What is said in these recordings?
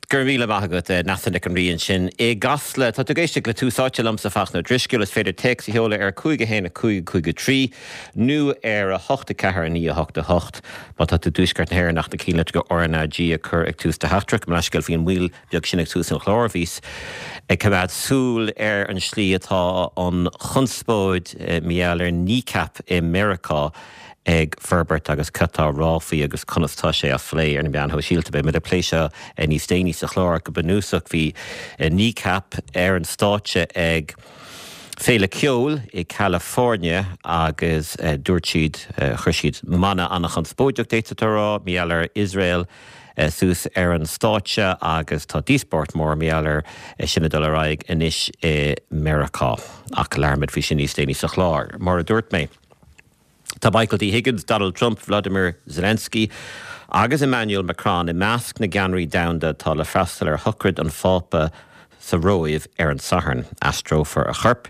Go raibh míle maith agat, Neasa Nic an Rí ansin i gCasla. Tá tú ag éisteacht le Tús Áite liomsa, Fachtna Ó Drisceoil. Is féidir téacs a sheoladh ar 5 1 5 5 3 nó ar 8 4 9 8 8 má tá tú i dtuaisceart na hÉireann ach na cinnlitreacha RnaG a chur ag tús do theachtaireacht. Mo leithscéal faoin mhoill bheag sin ag tús an chláir. Bhíos ag coimeád súil ar an slí atá an chonspóid mar gheall ar Kneecap i Meiriceá ag forbairt agus cad tá á rá faoi agus conas tá sé á phlé ar na meáin shóisialta. Beidh muid ag plé seo níos déanaí sa chlár. Go bunúsach bhí Kneecap ar an stáitse ag féile ceoil i California agus dúirt siad, chuir siad mana an-chonspóideach d'fhéadfá a rá, mar gheall ar Iosrael suas ar an stáitse agus tá díospóireacht mór mar gheall ar sin ag dul ar aghaidh anois i Meiriceá. Ach labhróimid faoi sin níos déanaí sa chlár. Mar a dúirt mé. Tá Michael D Higgins, Donald Trump, Vladimir Zelensky agus Emmanuel Macron i measc na gceannairí domhanda atá le freastal ar shochraid an Phápa sa Róimh ar an Satharn. Aistreofar a chorp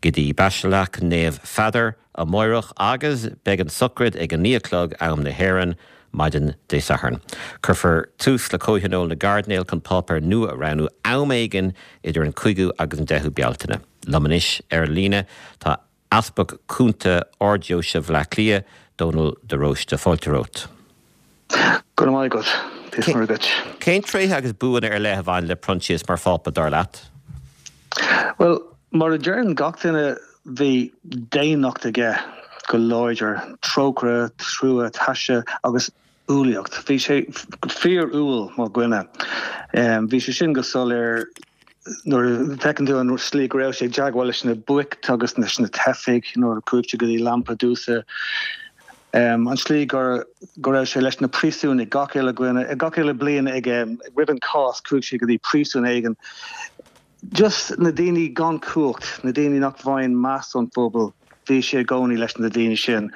go dtí Baisleac Naomh Pheadair amáireach agus beidh an tsochraid ag a 9 a chlog, am na hÉireann, maidin Dé Sathairn. Cuirfear tús le Comhthionól na gCairdinéal chun páipéir nua a roghnú am éigin idir an 5ú agus an 10ú Bealtaine. Liom anois ar an líne tá Easpag Cúnta Ard-Deoise Bhaile Átha Cliath, Dónal de Róiste. Fáilte romhat. Go raibh maith agat. Dia is Muire duit. Cén tréithe agus buanna ar leith a bhain le Proinsias mar Phápa, dar leat? Bhuel, mar a deireann gach duine, bhí daonnacht aige go láidir, trócaire, trua, taise agus umhlaíocht. Bhí sé fíor-umhal mar dhuine. Bhí sé sin go soiléir nuair a fheiceann tú an slí go raibh sé ag teagmháil leis na boicht agus leis na teifigh nuair a chuaigh sé go dtí Lampedusa. An slí go go raibh sé leis na príosúnaigh gach uile dhuine, gach uile bliain ag roimh an Cháisc chuaigh sé go dtí príosún éigin. Just na daoine gan cumhacht, na daoine nach bhfaigheann meas ón phobal, bhí sé i gcónaí leis na daoine sin,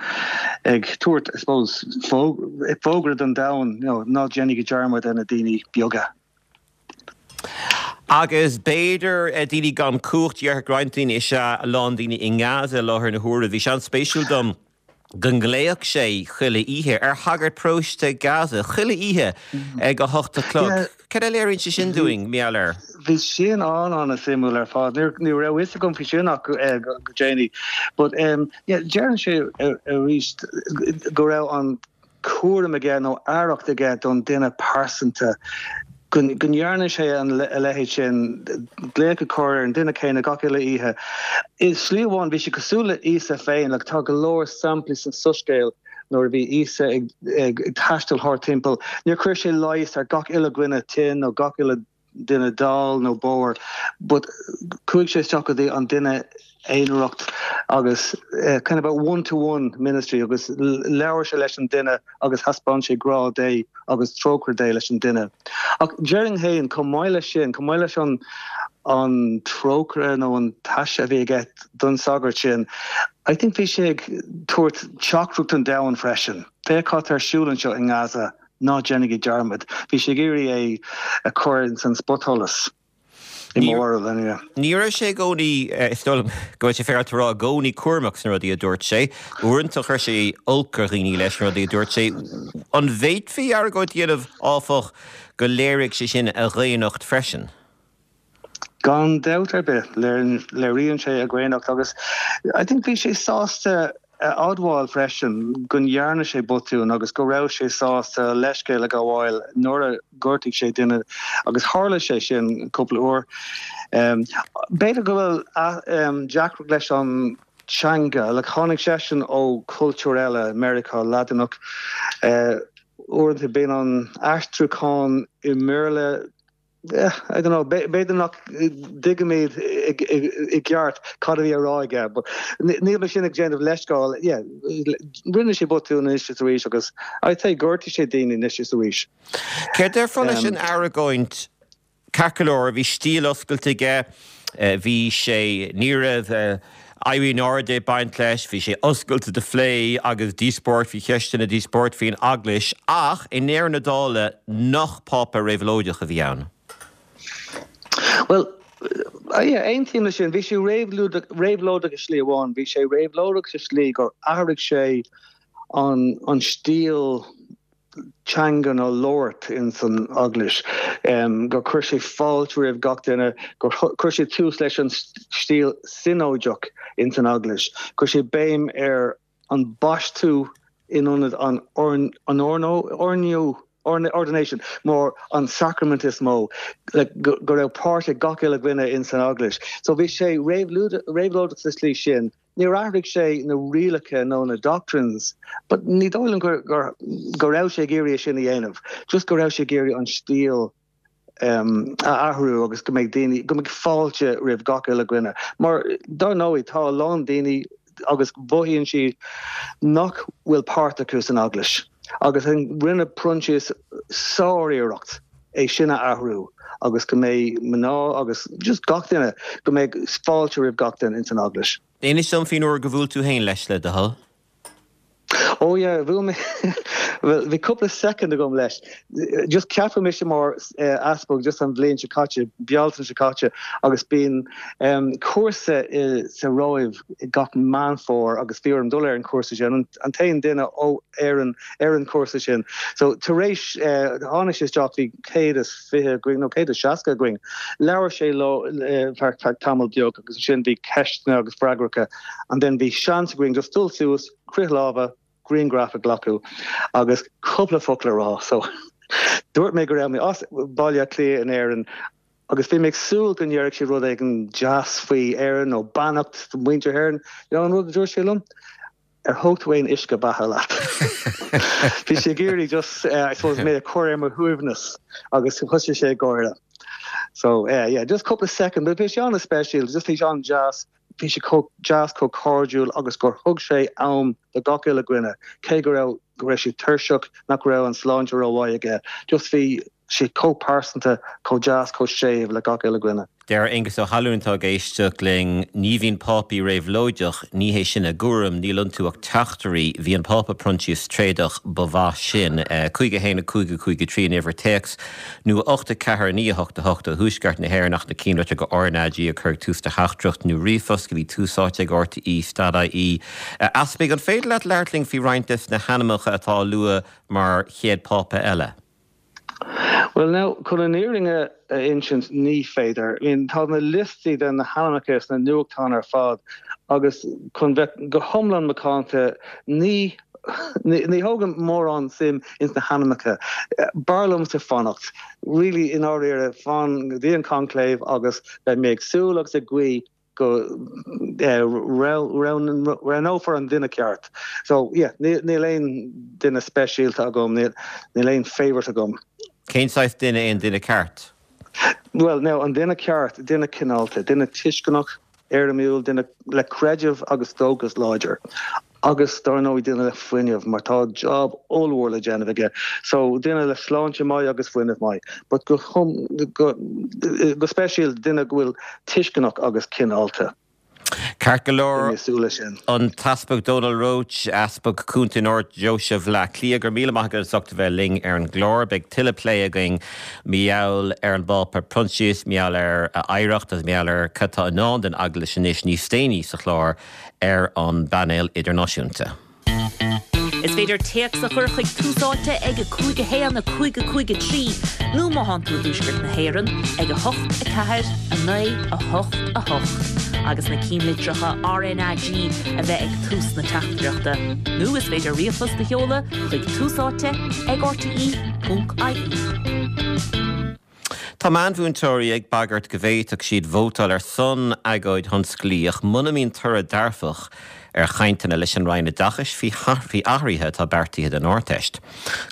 ag tabhairt, I suppose, fógra don domhan, you know, ná déanaigí dearmad ar na daoine beaga. Agus b'fhéidir daoine gan cumhacht, déarfadh roinnt daoine, is ea a lán daoine i nGaza i láthair na huaire. Bhí sé an-spéisiúil dom go nglaofadh sé chuile oíche ar shagart paróiste Gaza, chuile oíche ag a hocht a chlog. Cad a léiríonn sé sin dúinn, mar gheall air? Bhí sin an-an-suimiúil ar fad. Ní raibh a fhios agam faoi sin ach go déanaí. But yeah, deireann sé arís go raibh an cúram aige nó aireacht aige don duine pearsanta, go ndearna sé a leithéid sin, glaoch a chur ar an duine céanna gach uile oíche. I slí amháin, bhí sé cosúil le Íosa féin, like tá go leor samplaí san Soiscéal nuair a bhí Íosa ag taisteal thart timpeall, níor chuir sé leigheas ar gach uile dhuine tinn nó gach uile duine dall nó bodhar but chuaigh sé isteach go dtí an duine aonarach agus kind of a one to one ministry agus labhair sé leis an duine agus thaispeáin sé grá Dé agus trócaire Dé leis an duine. Ach déarfainn féin chomh maith leis sin, chomh maith leis an an trócaire nó an taise a bhí aige don sagart sin, I think bhí sé ag tabhairt teachtaireacht don domhan freisin. Féach cad tá ar siúl anseo i nGaza. Ná déanaigí dearmad. Bhí sé ag iarraidh é a chur ins an spotsholas, i mo bharúil, anyway. Ní raibh sé i gcónaí, is dóigh liom go bhfuil sé féaráilte a rá, i gcónaí cúramach sna rudaí a dúirt sé. Uaireanta chuir sé olc ar dhaoine leis na rudaí a dúirt sé. An bhféadfaí argóint a dhéanamh, áfach, go léirigh sé sin a dhaonnacht freisin? Gan dabht ar bith, léiríonn sé a dhaonnacht agus I think bhí sé sásta a admháil freisin go ndearna sé botún agus go raibh sé sásta leithscéal a ghabháil nuair a ghortaigh sé duine agus tharla sé sin cúpla uair. B'fhéidir go bhfuil deacracht leis an teanga, like tháinig seisean ó chultúr eile, Meiriceá Laidineach, uaireanta bíonn an aistriúchán i mBéarla I don't know, b'fhéidir nach dtuigimid i gceart cad a bhí á rá aige, but níl mé sin ag déanamh leithscéal, yeah, rinne sé botún anois is arís agus I'd say ghortaigh sé daoine anois is arís. Céard déarfá leis an argóint? Ceart go leor, bhí stíl oscailte aige, bhí sé, ní raibh éirí in airde ag baint leis, bhí sé oscailte do phlé agus díospóireacht faoi cheisteanna, díospóireacht faoin Eaglais, ach i ndeireadh na dála, nach Pápa réabhlóideach a bhí ann? Bhuel, yeah, aontaím leis sin. Bhí sé réabhlóideach i slí amháin. Bhí sé réabhlóideach sa slí gur athraigh sé an stíl. teangan a labhairt ins an eaglais, gur chuir sé fáilte roimh gach duine, gur chuir sé tús leis an stíl sionóideach ins an eaglais, chuir sé béim ar an baisteadh in ionad an oirniú, ordination, mar an sacraimint is mó, like, go raibh páirt ag gach uile dhuine ins an eaglais. So bhí sé réabhlóideach sa tslí sin. Níor athraigh sé na rialacha nó na doctrines but ní dóigh liom gur go raibh sé ag iarraidh é sin a dhéanamh, just go raibh sé ag iarraidh an stíl a athrú agus go mbeidh daoine, go mbeidh fáilte roimh gach uile dhuine. Mar dar ndóigh tá a lán daoine agus mothaíonn siad nach bhfuil páirt acu san eaglais agus rinne Proinsias sár-iarracht é sin a athrú agus go mbeidh mná agus just gach duine, go mbeidh fáilte roimh gach duine ins an eaglais. Inis dom faoin uair gur bhuail tú féin leis, le do thoil. Oh yeah, bhuail mé, bhuel bhí cúpla soicind agam leis. Just ceapadh mise mar easpag just an bhliain seo caite, Bealtaine seo caite agus bíonn cúrsa i sa Róimh gach Meán Fómhair agus bhí orm dul ar an chúrsa sin, an t-aon duine ó Éirinn ar an chúrsa sin. So tar éis, tháinig sé isteach, bhí 120 againn, nó 160 againn. Labhair sé leo ar feadh tamall beag agus ansin bhí ceisteanna agus freagracha and then bhí seans againn just dul suas, croith lámha, grianghraf a ghlacadh agus cúpla focal a rá. So dúirt mé go raibh mé as Baile Átha Cliath in Éirinn agus bhí mé ag súil go ndéarfadh sé rud éigin deas faoi Éirinn nó beannacht do mhuintir hÉireann. You know an rud a dúirt sé liom? Ar thóg tú aon uisce beatha leat? Bhí sé ag iarraidh just, I suppose, mé a chur ar mo shuaimhneas agus thosaigh sé ag gáire. So, yeah, just cúpla second, but bhí sé an-speisialta, just bhí sé an-deas, bhí sé chomh deas, chomh cairdiúil agus gur thug sé am do gach uile dhuine, cé go raibh, go raibh sé tuirseach, nach raibh an sláinte rómhaith aige, just bhí sé chomh pearsanta, chomh deas, chomh séimh le gach uile dhuine. Deir Aengus Ó hAlúin atá ag éisteacht linn, Ní bhíonn Pápaí réabhlóideach, ní hé sin a gcúram, níl iontu ach teachtairí, bhí an Pápa Proinsias tréadach, ba mhaith sin. 5 1 5 5 3 an uimhir téacs, nó 8 4 9 8 8 ó Thuaisceart na hÉireann ach na cinnlitreacha RnaG a chur ag tús do theachtaireacht nó ríomhphost go dtí Tús Áite ag RTÉ dot ie. A Easpaig, an féidir leat labhairt linn faoi roinnt des na hainmneacha atá á lua mar chéad Phápa eile? Bhuel now, chun an fhírinne a insint, ní féidir. I mean, tá na liostaí de na hainmneacha sna nuachtáin ar fad agus chun bheith go hiomlán macánta, ní ní thógaim mórán suim ins na hainmneacha. B'fhearr liomsa fanacht, really, i ndáiríre, fan go dtí an conclave agus beidh mé ag súil agus ag guí go roghnófar an duine ceart. So, yeah, níl aon duine speisialta agam, níl aon favourite agam. Cén saghas duine é an duine ceart? Bhuel, now, an duine ceart, duine cineálta, duine tuisceanach, éirimiúil, duine le creideamh agus dóchas láidir. Agus dar ndóigh duine le fuinneamh mar tá job ollmhór le déanamh aige. So duine le sláinte maith agus fuinneamh maith. But go go go speisialta duine go bhfuil tuisceanach agus cineálta. Ceart go leor. Beidh mé ag súil leis sin. An tEaspag Dónal Roche, Easpag Cúnta in Ard-Deoise Bhaile Átha Cliath, go raibh míle maith agat as ucht a bheith linn ar an gclár. Beidh tuilleadh plé againn mar gheall ar an bPápa Proinsias, mar gheall ar a oidhreacht agus mar gheall ar cad atá i ndán don Eaglais anois níos déanaí sa chlár. ar an bpainéal idirnáisiúnta. Is féidir téacs a chur chuig Tús Áite ag 5 1 5 5 3 nó má thánn tú i dTuaisceart na hÉireann ag 8 4 9 8 8 agus na cinnlitreacha RnaG a bheith ag tús na teachtaireachta. Nó is féidir ríomhphost a sheoladh chuig Tús Áite ag rte.ie. Tá meánmhúinteoirí ag bagairt go bhféadfadh siad vótáil ar son agóid thionsclaíoch muna mbíonn toradh dearfach ar chainteanna leis an Roinn Oideachais faoi athruithe atá beartaithe don Ardteist.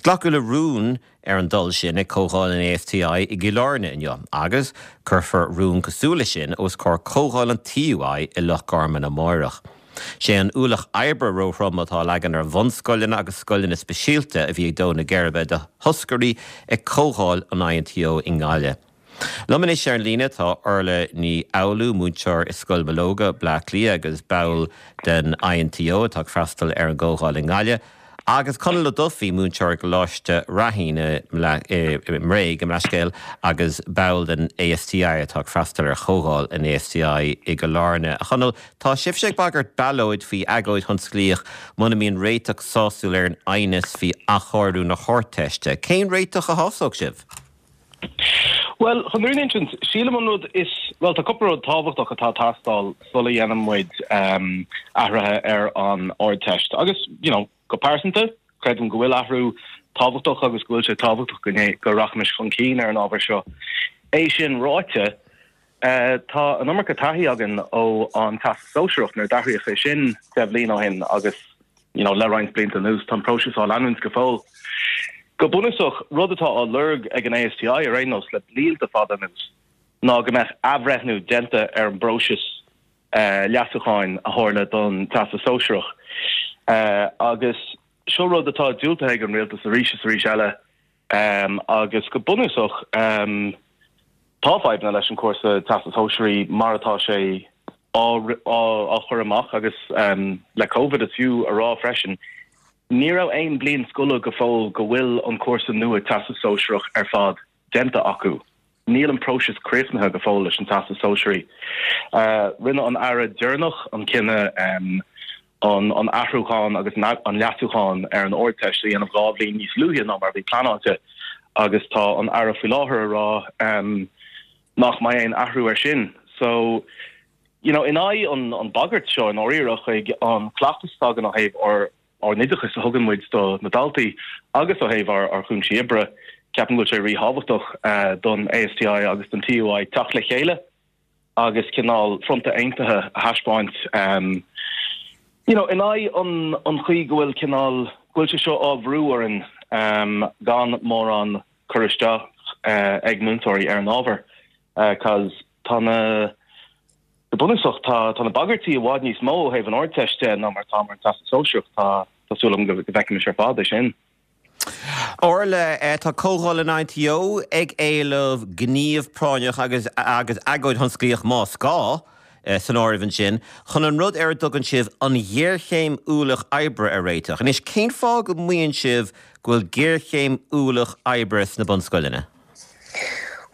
Glacadh le rún ar an dul sin ag Comhdháil an ASTI i gCill Airne inniu agus cuirfear rún cosúil leis sin os comhair Comhdháil an TUI i Loch Garman amáireach. Sé an ualach oibre róthrom atá á leagan ar bhunscoileanna agus scoileanna speisialta a bhí ag dó na geirbe do thoscairí ag comhdháil an INTO i nGaillimh. Liom anois ar an líne tá Orla Ní Fhoghlú, múinteoir i Scoil Mológa, Bleá Cliath agus ball den INTO atá ag freastal ar an gcomhdháil i nGaillimh. Agus Conall Ó Dufaigh, múinteoir i gColáiste Raithín i mBré, gabh mo leithscéal, agus ball den ASTI atá ag freastal ar chomhdháil an ASTI i gCill Airne. A Chonaill, tá sibhse ag bagairt ballóid faoi agóid thionsclaíoch muna mbíonn réiteach sásúil ar an aighneas faoi athchóiriú na hArdteiste. Cén réiteach a shásódh sibh? Bhuel, chun an fhírinne a insint, sílim an rud is, bhuel, tá cúpla rud tábhachtach atá ag teastáil sula dhéanann muid athruithe ar an Ardteist. Agus, you know, go pearsanta, creidim go bhfuil athrú tábhachtach agus go bhfuil sé tábhachtach go go rachaimis chun cinn ar an ábhar seo. É sin ráite, tá an iomarca taithí againn ó an Teastas Sóisearach nuair a d'athraíodh é sin deich mbliana ó shin agus, you know, le roinnt blianta anuas, tá an próiseas á leanúint go fóill. Go bunúsach, rud atá á lorg ag an ASTI ar aon nós le blianta fada anuas ná go mbeadh athbhreithniú déanta ar an bpróiseas leasúcháin a tharla don Teastas Sóisearach. Agus seo rud atá diúltaithe ag an Rialtas arís is arís eile agus go bunúsach tá fadhbanna leis an cúrsa Teastas Sóisearaí mar atá sé á chur amach agus le Covid is fiú a rá freisin, ní raibh aon bliain scoile go fóill go bhfuil an cúrsa nua Teastas Sóisearach ar fad déanta acu. Níl an próiseas críochnaithe go fóill leis an Teastas Sóisearaí. Rinne an Aire deireanach an cinneadh an athrúchán agus an leasúchán ar an Ardteist a dhéanamh 2 bhliain níos luaithe ná mar a bhí pleanáilte agus tá an Aire faoi láthair a rá nach mbeidh aon athrú air sin. So, you know, in aghaidh an an bagairt seo i ndáiríre chuig an cleachtas atá againn ó thaobh ár ár n-oideachas a thugann muid do na daltaí agus ó thaobh ár ár chúinsí oibre, ceapaim go bhfuil sé ríthábhachtach don ASTI agus don TUI teacht le chéile agus cineál fronta aontaithe a thaispeáint you know, in aghaidh an an chaoi go bhfuil cineál go bhfuil sé seo á bhrú orainn gan mórán cur isteach ag múinteoirí ar an ábhar cause tá na, go bunúsach, tá tá na bagairtí i bhfad níos mó ó thaobh an Ardteist de ná mar atá mar an Teastas Sóisearach. Tá tá súil agam go bhfeicfimis ar fad é sin. Orla, tá Comhdháil an ITO ag éileamh gníomh práinneach agus agus agóid thionsclaíoch más gá san áireamh ansin, chun an rud ar a dtugann sibh an ghéarchéim ualach oibre a réiteach. Anois, cén fáth go maíonn sibh go bhfuil géarchéim ualach oibre sna bunscoileanna?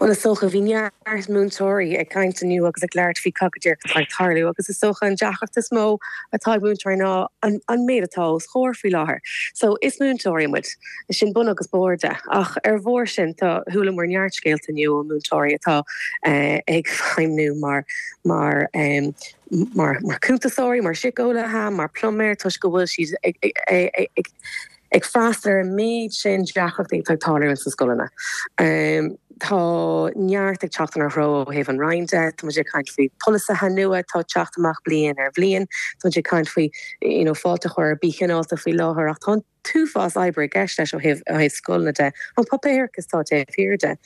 Bhuel, is dócha, bhí neart múinteoirí ag caint inniu agus ag labhairt faoi cad go díreach atá ag tarlú agus is dócha an deacracht is mó atá ag múinteoirí ná an méid atá os chomhair faoi láthair. So, is múinteoirí muid, sin bun agus barr de. Ach ar bharr sin, tá, chualamar neart scéalta inniu ó mhúinteoirí atá ag feidhmniú mar, mar, mar, mar cuntasóirí, mar síceolaithe, mar pluiméir toisc go bhfuil siad ag, ag, ag, ag freastal ar an méid sin deacrachtaí atá ag tarlú ins na scoileanna. Tá neart ag teacht inár dtreo ó thaobh an Roinn de, tá muid ag caint faoi polasaithe nua atá ag teacht amach bliain ar bhliain, tá muid ag caint faoi you know fáilte a chur ar Bí Cineálta faoi láthair ach tá an t-uafás oibre i gceist leis ó thaobh ó thaobh scoileanna de, an páipéarachas atá taobh thiar de.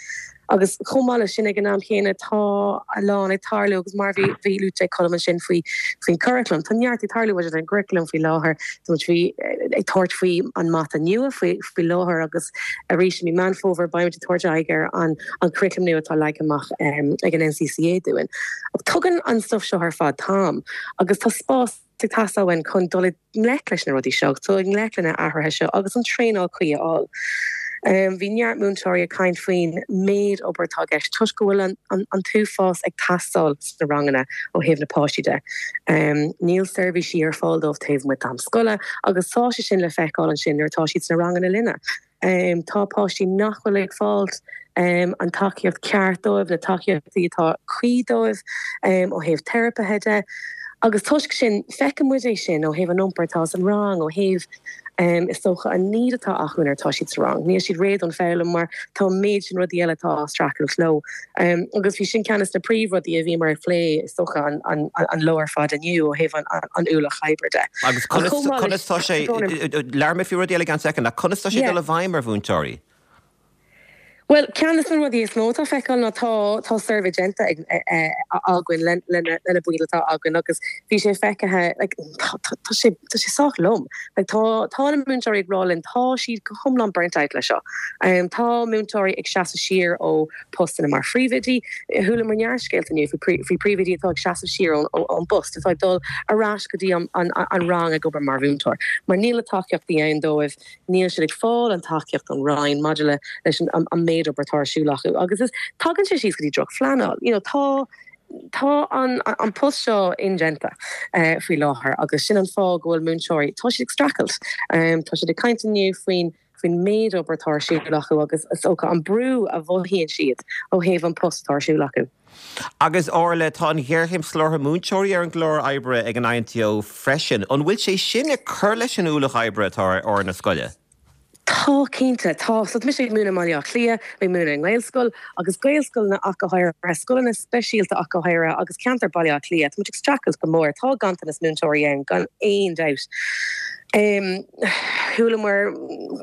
Agus chomh maith leis sin, ag an am chéanna, tá a lán ag tarlú agus mar bhí bhí luaite ag Colm ansin faoi faoin curaclam, tá neart ag tarlú maidir leis an gcuraclam faoi láthair. Tá muid faoi ag tabhairt faoi an mata nua faoi faoi láthair agus arís i mí Meán Fómhair beimid ag tabhairt aghaidh ar an an curaclam nua atá leagtha amach ag an NCCA dúinn. Ach tugann an stuif seo ar fad t-am agus tá spás ag teastáil uainn chun dul i ngleic leis na rudaí seo, dul i ngleic le na athruithe seo agus an traenáil cuí a fháil. Bhí neart múinteoirí ag caint faoin méid obair atá i gceist toisc go bhfuil an t-uafás ag teastáil sna ranganna ó thaobh na páistí de. Níl seirbhísí ar fáil dóibh taobh amuigh d'am scoile agus tá sé sin le feiceáil ansin nuair atá siad sna ranganna linne. Tá páistí nach bhfuil ag fáilt an tacaíocht ceart dóibh, na tacaíochtaí atá cuí dóibh ó thaobh teiripithe de. Agus toisc sin, feiceann muid é sin ó thaobh an iompair atá san rang, ó thaobh is dócha an need atá acu nuair atá siad sa rang. Níl siad réidh don foghlaim mar tá an méid sin rudaí eile atá á streachailt leo. Agus bhí sin ceann de na príomhrudaí a bhíomar ag plé, is dócha, an lá ar fad inniu ó thaobh an ualach oibre de. Agus conas tá sé, labhróidh mé faoi rudaí eile i gceann soicind, ach conas tá sé ag dul i bhfeidhm ar mhúinteoirí? Bhuel, ceann de na rudaí is mó atá feiceáil ná tá tá suirbhé déanta ag againn le le na baill atá againn agus bhí sé feicthe like tá tá sé tá sé sách lom. Like tá tá na múinteoirí ag rá linn tá siad go hiomlán burnt out le seo. Tá múinteoirí ag seasamh siar ó postanna mar phríomhoidí. Chualamar neart scéalta inniu faoi faoi príomhoidí atá ag seasamh siar ón ón bpost, atá ag dul ar ais go dtí an an an rang ag obair mar mhúinteoir mar níl na tacaíochtaí ann dóibh. Níl siad ag fáil an tacaíocht ón Roinn maidir le leis an an méid obair atá ar siúl acu agus is tagann sé síos go dtí drochphleanáil. You know tá tá an an post seo indéanta faoi láthair agus sin an fáth go bhfuil múinteoirí, tá siad ag streachailt. Tá siad ag caint inniu faoin faoin méid obair atá ar siúl acu agus is dócha an brú a mhothaíonn siad ó thaobh an post atá ar siúl acu. Agus Orla, tá an ghéarchéim soláthair múinteoirí ar an gclár oibre ag an INTO freisin. An bhfuil sé sin ag cur leis an ualach oibre atá ar fhoireann na scoile? Tá, cinnte, tá. So tá mise ag múineadh i mBaile Átha Cliath, ag múineadh i nGaelscoil agus Gaelscoileanna ach go háirithe, scoileanna speisialta ach go háirithe agus ceantar Baile Átha Cliath, tá muid ag streachailt go mór. Tá ganntanas múinteoirí ann gan aon dabht. Chualamar,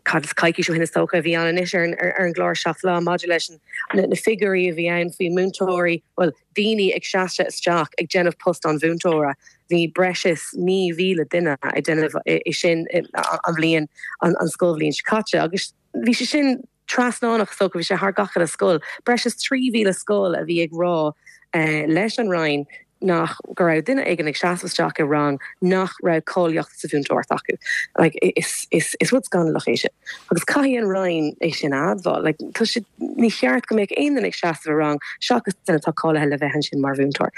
cad is coicís ó shin is dócha a bhí ann anois ar an gclár Seacht Lá maidir leis an na figiúirí a bhí ann faoi mhúinteoirí, bhuel, daoine ag seasamh isteach ag déanamh post an mhúinteora, bhí breis is 9,000 duine ag déanamh é sin an bhliain, an scoilbhliain seo caite agus bhí sé sin trasnánach is dócha, bhí sé thar gach uile scoil. Breis is 3,000 scoil a bhí ag rá leis an Roinn nach, go raibh duine éigin ag seasamh isteach i rang nach raibh cáilíocht sa mhúinteoireacht acu. Like, is, is, is rud scannalach é sin. Agus caithfidh an Roinn é sin a admháil. Like, tá sé, ní cheart go mbeadh aon duine ag seasamh i rang seachas duine atá cáilithe le bheith ansin mar mhúinteoir.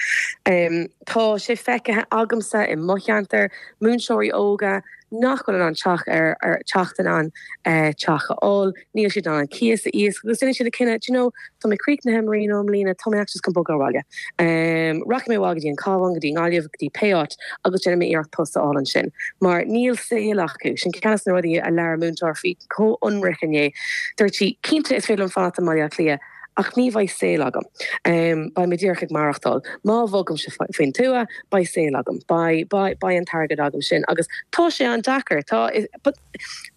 Um, tá sé feicthe agamsa i mo cheantar, múinteoirí óga nach bhfuil in ann teach ar, ar, teacht in ann eh, teach a fháil, Níl siad in ann an cíos a íoc agus déanann siad an cinneadh, do you know, tá mé críochnaithe i mbliana, tá mé actually just chun bogadh abhaile. Rachaidh mé abhaile go dtí an Cabhán, go dtí an Ghaillimh, go dtí pé áit agus déanfaidh mé iarracht post a fháil ansin. Mar níl saol acu. Sin ceann de na rudaí a labhair múinteoir faoi chomh hionraic inné. Dúirt sí, cinnte is féidir liom fanacht i mBaile Átha Cliath ach ní bheidh saol agam. Beidh mé díreach ag maireachtáil. Má bhogaimse faoin tuath, beidh saol agam. Beidh, beidh, beidh an t-airgead agam sin. Agus tá sé an-deacair. Tá, but,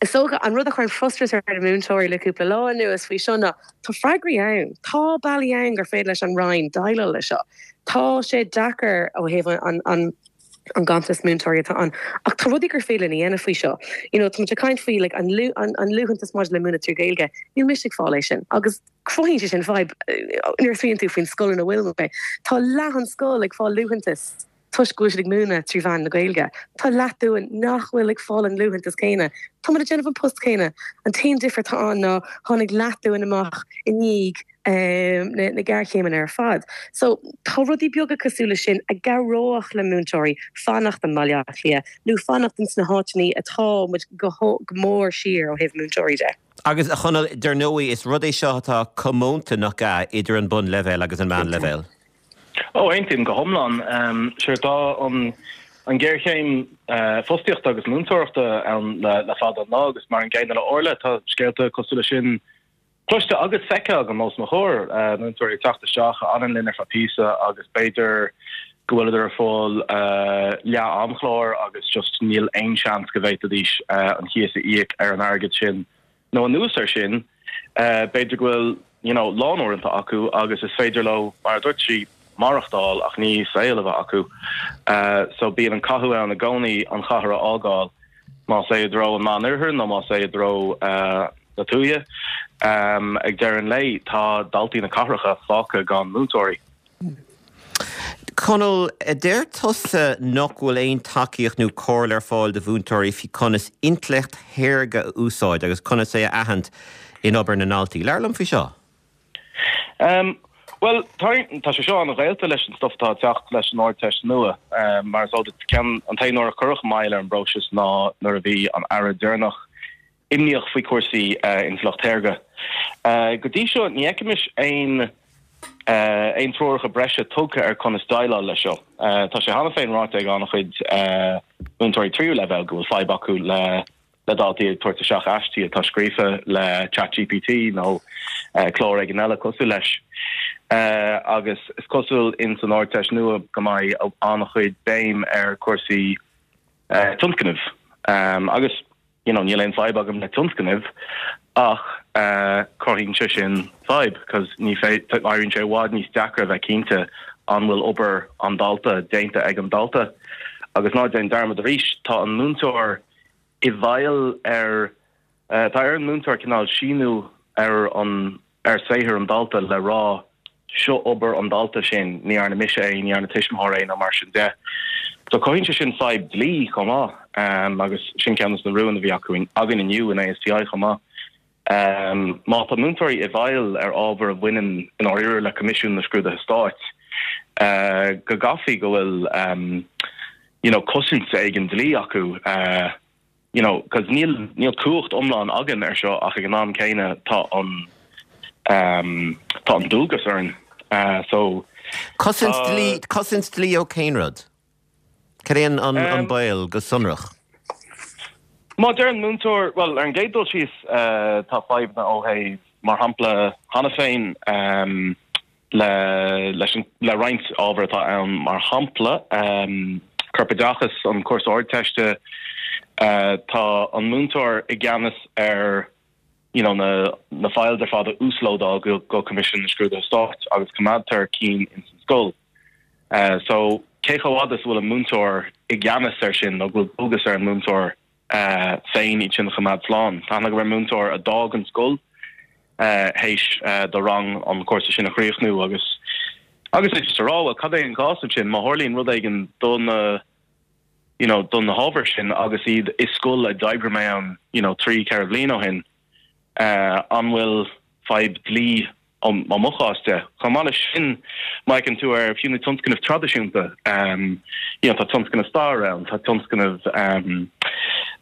Is dócha, an rud a chuireann frustrachas ar na múinteoirí le cúpla lá anuas faoi seo ná tá freagraí ann, tá bealaí ann gur féidir leis an Roinn déileáil leis seo. Tá sé deacair ó thaobh an an an ganntanas múinteoirí atá ann ach tá rudaí gur féidir linn a dhéanamh faoi seo. You know, tá muid ag caint faoi like an an an liúntas maidir le múineadh trí Ghaeilge, níl mise ag fáil é sin agus cruthaíonn sé sin fadhb nuair a smaoiníonn tú faoin scoil ina bhfuil mé. Tá leath an scoil ag fáil liúntas. Toisc go bhfuil siad ag múineadh trí mheán na Gaeilge, tá leath dúinn nach bhfuil ag fáil an liúntas céanna. Tá muid ag déanamh an post céanna. An t-aon difear atá ann ná tháinig leath dúinn amach i ndiaidh na géarchéimeanna ar fad. So, tá rudaí beaga cosúil leis sin a gcabhródh le múinteoirí fanacht i mBaile Átha Cliath nó fanacht ins na háiteanna atá muid go mór siar ó thaobh múinteoirí de. Agus, a Chonaill, dar ndóigh, is rud é seo atá comónta, nach ea, idir an bunleibhéal agus an meánleibhéal? Ó, aontaím go hiomlán. Sure, tá an ghéarchéim fostaíochta agus múinteoireachta ann le fada an lá agus mar an gcéanna le Orla, tá scéalta cosúil leis sin cloiste agus feicthe agam os mo chomhair, múinteoirí ag teacht isteach a fhanann linn ar feadh píosa agus b'fhéidir go bhfuileadar ag fáil leath-amchlár agus just níl aon seans go bhféadfaidís an cíos a íoc ar an airgead sin. Nó anuas air sin, b'fhéidir go bhfuil you know lánuaireanta acu agus is féidir leo, mar a dúirt sí, maireachtáil ach ní saol a bheith acu. So bíonn an cathú ann i gcónaí an chathair a fhágáil, más é i dtreo an Meánoirthir nó más é i dtreo na tuaithe. Ag deireadh an lae, tá daltaí na cathracha fágtha gan múinteoirí. Conall, deir tusa nach bhfuil aon tacaíocht nó comhairle ar fáil do mhúinteoirí faoi conas intleacht shaorga a úsáid agus conas é a aithint in obair na ndaltaí. Labhair liom faoi seo. Bhuel, tá sé seo an-ghaolta leis an stuff atá ag teacht leis an Ardteist nua. Mar is eol duit, ceann, an t-aon uair a cuireadh moill ar an bpróiseas ná nuair a bhí an Aire deireanach imníoch faoi chúrsaí intleacht shaorga. Go dtí seo, ní fheicimis aon aon treoracha breise tugtha ar conas déileáil leis seo. Tá sé cheana féin ráite ag an-chuid múinteoirí tríú leibhéal go bhfuil fadhb acu le le daltaí ag tabhairt isteach aistí atá scríofa le ChatGPT nó clár éigin eile cosúil leis. Agus is cosúil ins an Ardteist nua go mbeidh an-chuid béim ar chúrsaí tionscnaimh agus you know, níl aon fadhb agam le tionscnaimh ach. Cruthaíonn sé sin fadhb, 'cause ní féidir, éiríonn sé i bhfad níos deacra a bheith cinnte an bhfuil obair an dalta déanta ag an dalta. Agus ná déan dearmad arís, tá an múinteoir i bhfeighil ar, tá ar an múinteoir cineál síniú ar an, ar saothar an dalta le rá seo obair an dalta sin, ní dhearna mise é, ní dhearna tuismitheoir é nó mar sin de. So cothaíonn sé sin fadhb dlí chomh maith agus sin ceann de na rúin a bhí acu againn inniu in ASTI chomh maith. Má tá múinteoirí i bhfeighil ar ábhar a bhaineann i ndáiríre le Coimisiún na Scrúduithe Stáit, go gcaithfí go bhfuil you know cosaint éigin dlí acu, you know, 'cause níl, níl cumhacht iomlán againn ar seo ach ag an am céanna tá an, ehm, tá an dualgas orainn. Eh, so Cosaint tá. dlí, cosaint dlí ó cén rud? Cad é an, an, an Ehm. baol go sonrach? Má deir an múinteoir, bhuel, ar an gcéad dul síos, eh, tá fadhbanna ó thaobh, mar shampla, cheana féin, ehm, le leis an le roinnt ábhar atá ann, mar shampla, corpoideachas, an cúrsa Ardteiste, tá an múinteoir i gceannas ar you know na na files ar fad a uaslódáil go go Coimisiún na Scrúduithe Stáit agus coimeádtar cinn ins an scoil. So cé chomh fhada is a bhfuil an múinteoir i gceannas ar sin nó go bhfuil dualgas ar an múinteoir féin iad sin a choimeád slán. Tá aithne agam ar mhúinteoir a d'fhág an scoil théis do rang an cúrsa sin a chríochnú agus agus é just a rá, bhuel, cad é an cás ansin má tharlaíonn rud éigin do na you know, do na hábhair sin agus iad i scoil a d'oibrigh mé ann you know, 3, 4 bhliain ó shin, an bhfuil fadhb dlí ó mo chás de. Chomh maith leis sin, má fheiceann tú ar fiú na tionscnaimh traidisiúnta, you know, tá tionscnamh stair ann, tá tionscnamh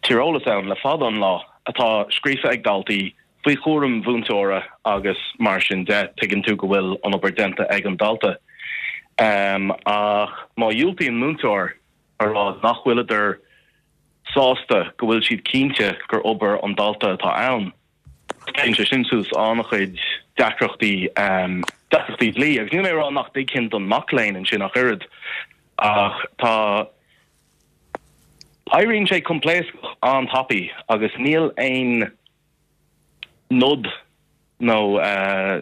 tíreolas ann le fada an lá atá scríofa ag daltaí faoi chúram mhúinteora agus mar sin de, tuigeann tú go bhfuil an obair déanta ag an dalta. Ach má dhiúltaíonn múinteoir a rá nach bhfuileadar sásta go bhfuil siad cinnte gur obair an dalta atá ann, Téann sé sin suas an-chuid deacrachtaí, deacrachtaí dlí. Agus níl mé ag rá nach dtuigfinn don mac léinn ansin ach oiread, ach tá, éiríonn sé coimpléascach an-tapaidh agus níl aon nod nó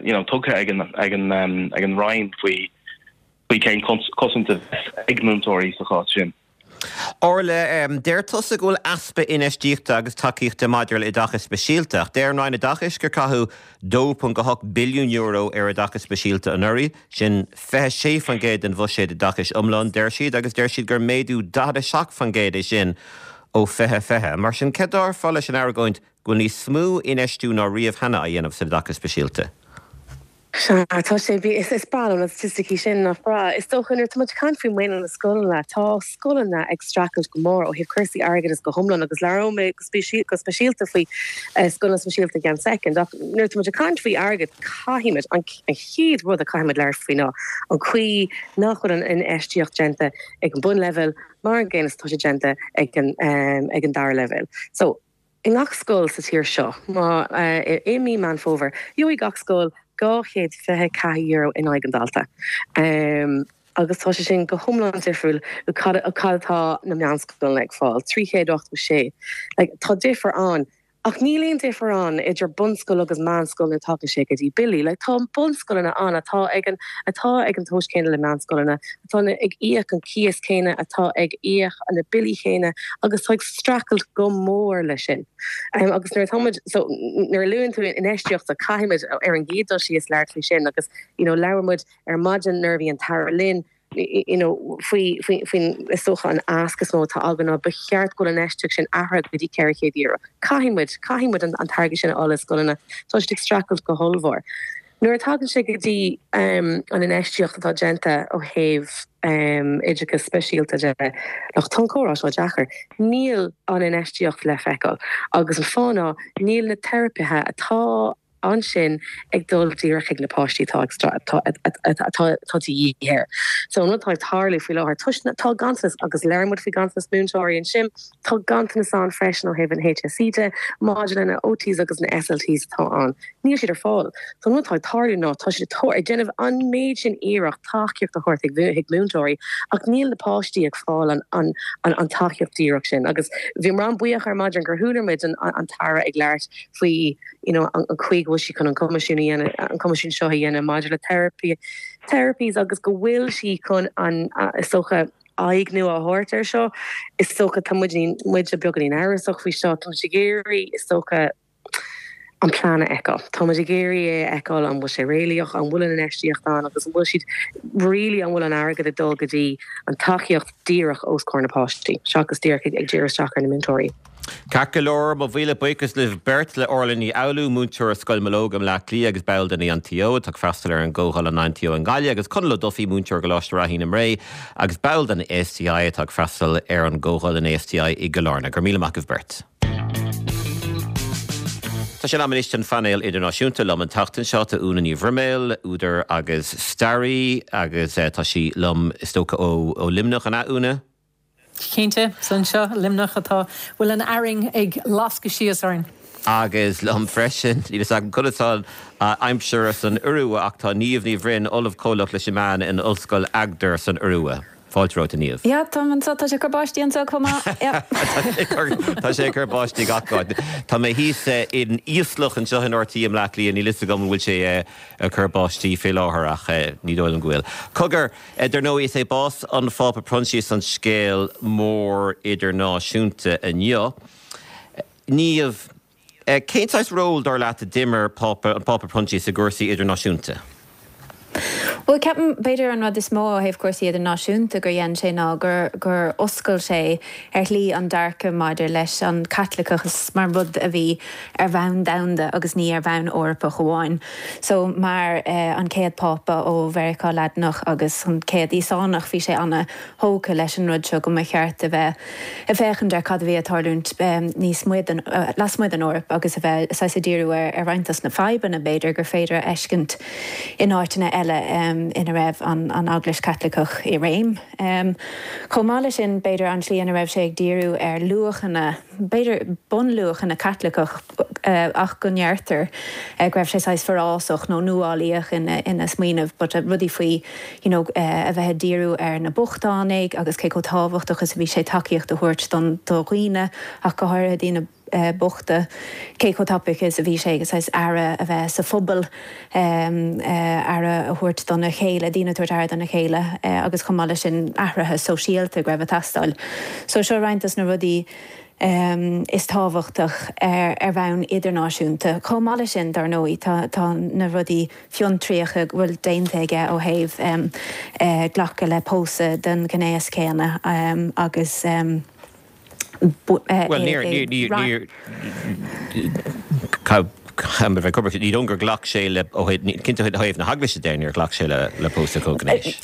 you know tugtha ag an, ag an, ag an Roinn faoi, faoi cén cosaint a bheas ag múinteoirí sa chás sin. Orla, deir tusa go bhfuil easpa infheistíochta agus tacaíochta maidir le oideachas speisialta, ach deir an Roinn Oideachais gur caitheadh €2.8 billiún ar oideachas speisialta anuraidh, sin 26% den bhuiséad oideachais iomlán, deir siad, agus deir siad gur méadú 47% é sin ó 2020. Mar sin, cad déarfá leis an argóint go bhfuil níos mó infheistiú ná riamh cheana á dhéanamh san oideachas speisialta? Sea, tá sé, bhí, is breá liom na staitisticí sin, nach breá? Is dócha, nuair atá muid ag caint faoi mhaoiniú na scoileanna, tá scoileanna ag streachailt go mór ó thaobh cúrsaí airgeadais go hiomlán agus labhróidh mé go speisialta faoi scoileanna speisialta i gceann soicind, ach nuair atá muid ag caint faoi airgead, caithfimid, an chéad rud a caithfimid labhairt faoi ná an chaoi nach bhfuil an infheistíocht déanta ag an bunleibhéal mar an gcéanna is atá sé déanta ag an, ag an dara leibhéal. So. I ngach scoil sa tír seo, má, i mí Meán Fómhair, gheobhaidh gach scoil €224 in aghaidh an dalta. Agus tá sé sin go hiomlán difriúil ó cad atá na meánscoileanna ag fáil, 386. Like, tá difear ann. Ach níl aon difear ann idir bunscoil agus meánscoil nuair a tagann sé go dtí billí. Like, tá bunscoileanna ann atá ag an, atá ag an tomhas céanna le meánscoileanna, atá ag íoc an cíos céanna, atá ag íoc na billí céanna agus atá ag streachailt go mór leis sin. Agus nuair atá muid, so nuair a luann tú infheistíocht, caithfimid ar an gcéad dul síos labhairt faoi sin agus you know labhair muid ar maidin nuair a bhí an tAire linn you know faoi, faoi, faoin, is dócha an ask is mó atá againn ná ba cheart go bhfuil an infheistíocht sin athraithe go dtí €400. Caithfidh muid, caithfidh muid an an t-airgead sin a fháil le scoileanna, tá siad ag streachailt go hollmhór. Nuair a tagann sé go dtí an infheistíocht atá déanta ó thaobh oideachas speisialta de, look, tá an comhrá seo deacair. Níl an infheistíocht le feiceáil agus an fáth ná níl na teiripithe atá. ansin ag dul díreach chuig na páistí atá atá atá de dhíth air. So an rud atá ag tarlú faoi láthair, toisc na, tá ganntanas, agus labhair muid faoi ganntanas múinteoirí ansin, tá ganntanas ann freisin ó thaobh an HSE de maidir le na OTs agus na SLTs atá ann. Níl siad ar fáil. So an rud atá ag tarlú ná tá siad ag déanamh an méid sin iarracht tacaíocht a thabhairt chuig múinteoirí ach níl na páistí ag fáil an an an tacaíocht díreach sin. Agus bhíomar an-bhuíoch ar maidin gur chuala muid an an tAire ag labhairt faoi you know an chaoi go bhfuil sí chun an coimisiún a dhéanamh, an coimisiún seo a dhéanamh maidir le therapy, therapies agus go bhfuil sí chun an is dócha aghaidh nua a thabhairt air seo. Is dócha tá muid muid beagáinín amhrasach faoi seo, tá muid ag iarraidh is dócha an plean a fheiceáil. Tá muid ag iarraidh é a fheiceáil, an bhfuil sé réalaíoch, an bhfuil an infheistíocht ann agus an bhfuil siad really, an bhfuil an airgead ag dul go dtí an tacaíocht díreach os comhair na páistí seachas díreach ag díriú isteach ar na múinteoirí. Ceart go leor, mo mhíle buíochas libh beirt, le Orla Ní Fhoghlú, múinteoir i Scoil Mológ i mBleá Cliath agus ball den INTO atá ag freastal ar an gcomhdháil an INTO i nGaillimh, agus Conall Ó Dufaigh, múinteoir i gColáiste Ráithín i mBré agus ball den ASTI atá ag freastal ar an gcomhdháil an ASTI i gCill Airne. Go raibh míle maith agaibh beirt. Tá sé in am anois don phainéal idirnáisiúnta. Liom an tseachtain seo tá Úna Ní Bhroiméil, údar agus staraí, agus tá sí liom is dócha ó Luimneach, an ea, Úna? Cinnte, is anseo i Luimneach atá, bhfuil an arraing ag lascadh síos orainn. Agus liom freisin, níl fhios agam conas tá an aimsir san Iorua ach tá Niamh Ní Bhroin, Ollamh Comhlach leis na Meáin in Ollscoil Agder san Iorua. Fáilte romhat, a Niamh. Yeah, táim anseo, tá sé ag cur báistí anseo chomh maith, yeah. Tá sé ag cur báistí gach áit. Tá mé thíos in íoslach anseo in RTÉ i mBleá Cliath, níl fhios agam an bhfuil sé ag cur báistí fé láthair ach ní dóigh liom go bhfuil. Cogar, dar ndóigh, is é bás an Phápa Proinsias an scéal mór idirnáisiúnta inniu. Niamh. Cén saghas ról, dar leat, a d'imir Pápa, an Pápa Proinsias i gcúrsaí idirnáisiúnta? Bhuel, ceapaim, b'fhéidir an rud is mó ó thaobh cúrsaí idirnáisiúnta gur dhein sé ná gur, gur oscail sé ar shlí an dearcadh maidir leis an Chaitliceachas mar rud a bhí ar bhonn domhanda agus ní ar bhonn Eorpach amháin. So, mar an chéad Phápa ó Mheiriceá Laidineach agus an chéad Íosánach, bhí sé ana thógtha leis an rud seo go mba cheart a bheith ag féachaint ar cad a bhí ag tarlúint níos amuigh den, lasmuigh den Eoraip agus a bheith saghas ag díriú ar roinnt dos na fadhbanna b'fhéidir gur féidir a fheiscint in áiteanna eile ina raibh an Eaglais Chaitliceach i réim. Chomh maith leis sin, b'fhéidir an tslí ina raibh sé ag díriú ar luachanna, b'fhéidir bunluachanna Caitliceach ach go ndeirtear go raibh sé saghas forásach nó nuálaíoch ina smaoineamh but rudaí faoi you know a bheith ag díriú ar na bochtánaigh agus cé chomh tábhachtach is a bhí sé tacaíocht a thabhairt don do dhaoine ach go háirithe daoine bochta, cé chomh tapaidh is a bhí sé saghas aire a bheith sa phobal, aire a thabhairt dona chéile, daoine ag tabhairt aire dona chéile agus chomh maith leis sin athruithe sóisialta go raibh ag teastáil. So seo roinnt dos na rudaí is tábhachtach ar bhonn idirnáisiúnta. Chomh maith leis sin, dar ndóigh, tá tá na rudaí fiontraíocha go bhfuil déanta aige ó thaobh glacadh le pósadh den ghnéas céanna agus Bhuel, níor, níor, níor, níor, ní dóigh gur ghlac sé le, ó thaobh, cinnte ó thaobh na hEaglaise de, níor ghlac sé le pósadh comhghnéis.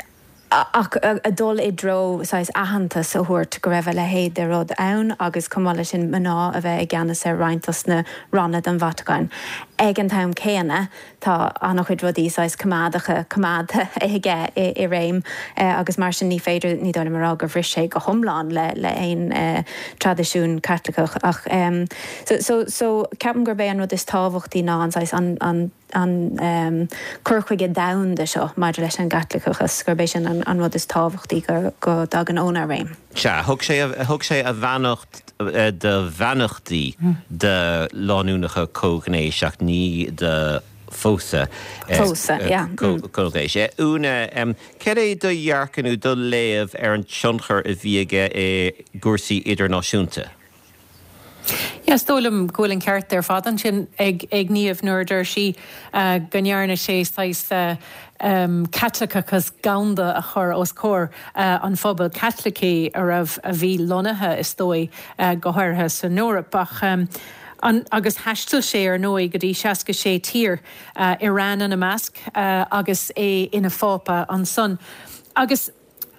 Ach ag dul i dtreo saghas aitheantas a thabhairt go raibh a leithéid de rud ann agus chomh maith leis sin mná a bheith i gceannas ar roinnt dos na ranna den Vatacáin. Ag an t-am céanna tá an-chuid rudaí saghas coimeádacha coimeádta aige i réim agus mar sin ní féidir, ní dóigh liom a rá gur bhris sé go hiomlán le le aon traidisiún Caitliceach ach so so so ceapaim gurb é an rud is tábhachtaí ná an saghas an an an cur chuige domhanda seo maidir leis an gCaitliceachas, gurb é sin an rud is tábhachtaí go dtagann óna réim. Sea, thug sé, thug sé a bheannacht do bheannachtaí do lánúineacha comhghnéis ach ní do phósadh comhghnéis. Úna, céard é do dhearcadh nó do léamh ar an tionchar a bhí aige i gcúrsaí idirnáisiúnta? Yeah, is dóigh liom go bhfuil an ceart ar fad ansin ag Niamh nuair a deir sí go ndearna sé saghas Caitliceachas domhanda a chur os comhair an phobail Chaitlicigh a raibh, a bhí lonnaithe is dóigh go háirithe san Eoraip. Ach an, agus thaistil sé ar ndóigh go dtí 66 tír, Iran ina measc, agus é ina Phápa ansan. Agus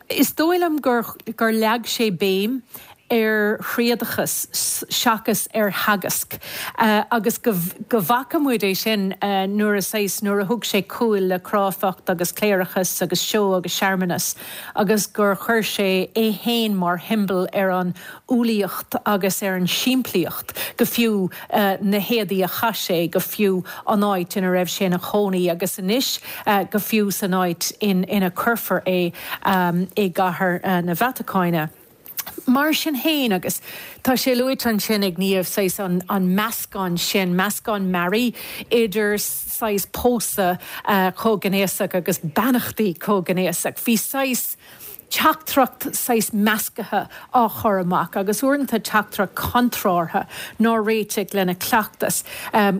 is dóigh liom gur, gur leag sé béim. ar thriadachas seachas ar theagasc agus go bhfaca muid é sin nuair a saghas nuair a thug sé cúl le cráifeacht agus cléireachas agus seó agus searmanas agus gur chuir sé é fhéin mar shiombail ar an umhlaíocht agus ar an simplíocht, go fiú na héadaí a chaith sé, go fiú an áit ina raibh sé ina chónaí agus anois go fiú san áit ina cuirfear é i gCathair na Vatacáine. Mar sin féin, agus tá sé luaite ansin ag Niamh, saghas an meascán sin, meascán mearaí idir saghas pósadh comhghnéasach agus beannachtaí comhghnéasach, bhí saghas teachtaireacht saghas meascaithe á chur amach agus uaireanta teachtaireacht contrártha nár réitigh lena cleachtas.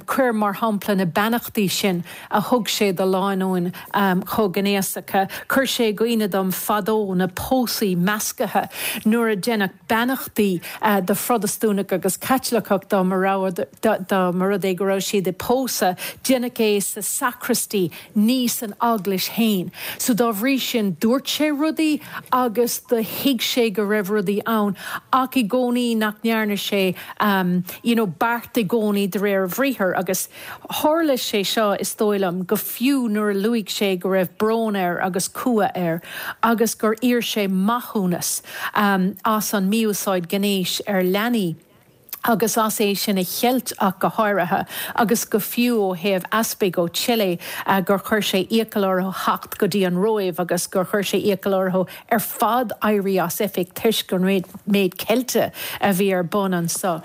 Cuir mar shampla na beannachtaí sin a thug sé do lánúin chomhghnéasacha. Chuir sé i gcuimhne dom fadó na pósaí meascaithe nuair a deineadh beannachtaí do Phrotastúnach agus Caitliceach dá mba rud é go raibh siad ag pósadh, deineadh é sa sacristy ní san eaglais fhéin. So dá bhrí sin dúirt sé rudaí agus do thuig sé go raibh rudaí ann ach i gcónaí nach ndearna sé you know beart i gcónaí de réir a bhriathair agus Tharla sé seo, is dóigh liom, go fiú nuair a luaigh sé go raibh brón air agus cumha air agus gur iarr sé maithiúnas as an mí-úsáid gnéis ar leanaí agus as é sin a cheilt ach go háirithe, agus go fiú ó thaobh easpaig ó Chile gur chuir sé iachall orthu theacht go dtí an Róimh agus gur chuir sé iachall orthu ar fad éirí as oifig toisc an méid ceilte a bhí ar bun anso.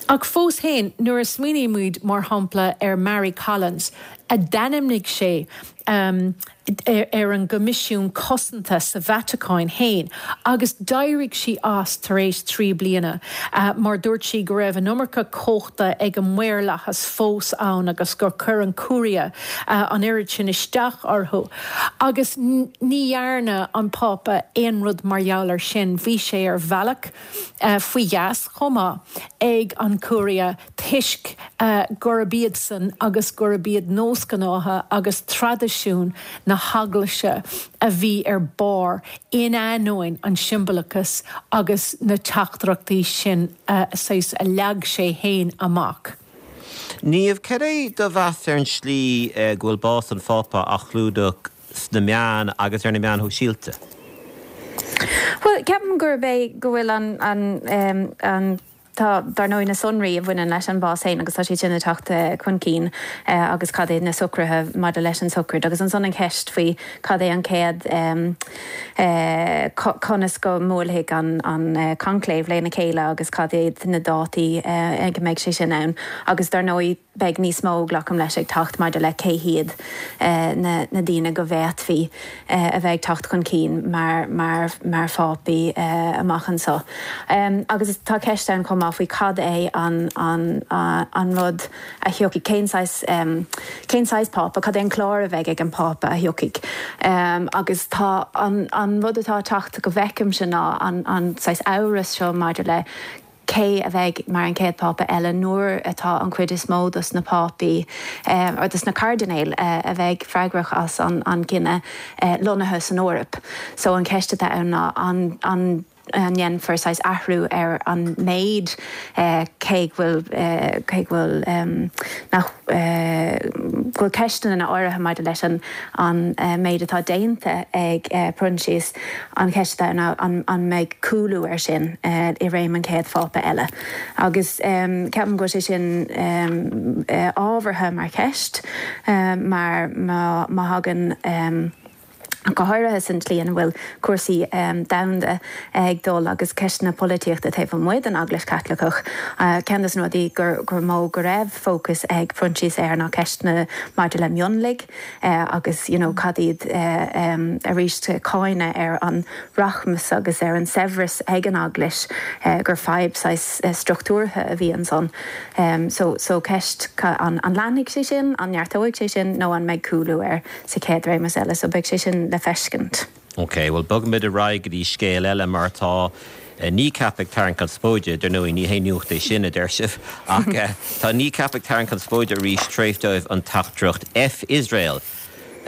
Ach fós féin, nuair a smaoinímid, mar shampla, ar Mary Collins, a d'ainmnigh sé ar an gCoimisiún Cosanta sa Vatacáin féin, agus d'éirigh sí as tar éis 3 bliana mar dúirt sí go raibh an iomarca cumhachta ag an maorlathas fós ann agus gur chuir an Curia an oiread sin isteach orthu. Agus ní dhearna an Pápa aon rud mar gheall air sin. Bhí sé ar bhealach faoi gheasa chomh maith ag an Curia toisc gurb iadsan agus gurb iad nósghnátha agus traidisiún na hEaglaise a bhí ar barr in ainneoin an siombalachas agus na teachtaireachtaí sin saghas a leag sé fhéin amach. Niamh, cad é do mheas ar an slí go bhfuil bás an Phápa á chlúdach sna meáin agus ar na meáin shóisialta? Bhuel, ceapaim gurb é go bhfuil an, an, an, tá, dar ndóigh, na sonraí a bhaineann leis an bhás féin agus tá siad sin ag teacht chun cinn agus cad é na socruithe maidir leis an sochraid agus ansan an cheist faoi cad é an chéad, conas go mbuailfidh an, an conclave lena chéile agus cad iad na dátaí ag a mbeidh sé sin ann agus dar ndóigh, Beidh níos mó, glacaim leis, ag teacht maidir le cé hiad na daoine go bhféadfaí a bheith ag teacht chun cinn mar mar phápaí amach anseo. Agus tá ceist ann chomh maith faoi cad é an an rud a thiocfaidh, cén saghas cén saghas pápa, cad é an clár a bheidh ag an bpápa a thiocfaidh. Agus tá an an rud atá ag teacht go bhfeicimse ná an an saghas amhras seo maidir le cé a bheidh mar an chéad Phápa eile nuair atá an chuid is mó dos na Pápaí, or dos na cairdinéil a bheidh freagrach as an gcinneadh lonnaithe san Eoraip. So an cheist atá ann ná an an ndéanfar saghas athrú ar an méid cé go bhfuil cé go bhfuil nach go bhfuil ceisteanna áirithe maidir leis an an méid atá déanta ag Proinsias, an cheist atá ann ná an mbeidh cúlú air sin i réim an chéad Phápa eile. Agus ceapaim go bhfuil sé sin ábhartha mar cheist mar má thagann, go háirithe san tslí ina bhfuil cúrsaí domhanda ag dul agus ceisteanna polaitíochta taobh amuigh den Eaglais Chaitliceach. Ceann de na rudaí gur mó go raibh fócas ag Proinsias air ná ceisteanna maidir le mionlaigh agus you know cad iad arís cáineadh ar an rachmas agus ar an saibhreas ag an Eaglais gur fadhb saghas struchtúrtha a bhí ansan. So so ceist an leanfaidh sé sin, an neartóidh sé sin nó an mbeidh cúlú air? sa chéad réimeas eile, so beidh sé sin le feiscint. Ok, bhuel bogfaimid ar aghaidh go dtí scéal eile mar tá Kneecap ag tarraingt conspóide, dar ndóigh ní haon nuacht é sin a deir sibh, ach tá Kneecap ag tarraingt conspóide arís tar éis dóibh an teachtaireacht F Israel!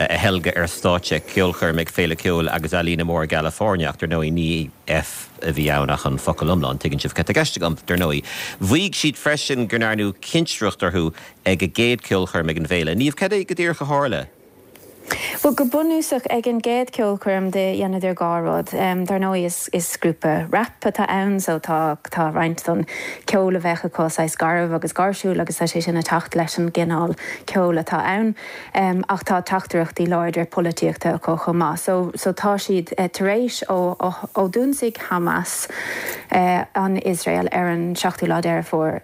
a theilgeadh ar stáitse ceolchoirm ag Féile Ceoil agus Ealaíne mór i gCalifornia ach dar ndóigh ní F a bhí ann ach an focal iomlán, tuigeann sibh cad tá i gceist agam, dar ndóigh. Mhaígh siad freisin go ndearnadh cinsireacht orthu ag a gcéad ceolchoirm ag an bhféile. Niamh, cad é go díreach a tharla? Bhuel, go bunúsach, ag an gcéad ceolchoirm do dheineadar dhá rud. Dar ndóigh is is grúpa rap atá ann so tá tá roinnt don ceol a bheadh acu saghas garbh agus gáirsiúil agus tá sé sin ag teacht leis an gcineál ceoil atá ann. Ach tá teachtaireachtaí láidre polaitíochta acu chomh maith. So so tá siad tar éis ó ó d'ionsaigh Hamas an Iosrael ar an seachtú lá Deireadh Fómhair